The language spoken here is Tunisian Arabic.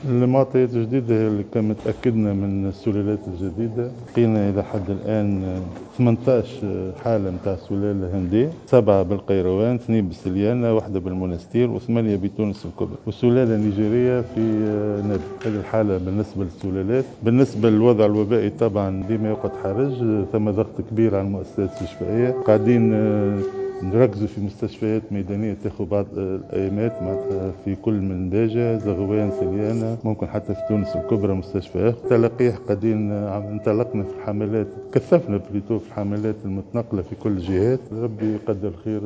المعطيات الجديدة اللي كما تأكدنا من السلالات الجديدة، لقينا إلى حد الآن 18 حالة نتاع سلالة هندية، 7 بالقيروان، 2 بالسليانة، 1 بالمنستير، و8 بتونس الكبرى، والسلالة النيجيرية في نابل. هذه الحالة بالنسبة للسلالات. بالنسبة للوضع الوبائي طبعا ديما يقعد حرج، ثم ضغط كبير على المؤسسات الاستشفائية، قاعدين نركزوا في مستشفيات ميدانية تاخذ بعض الأيامات معناتها في كل من باجة، زغوان، سليانة، ممكن حتى في تونس الكبرى مستشفيات. تلقيح قاعدين انطلقنا في الحملات، كثفنا plutôt في الحملات المتنقلة في كل الجهات. ربي يقدر الخير.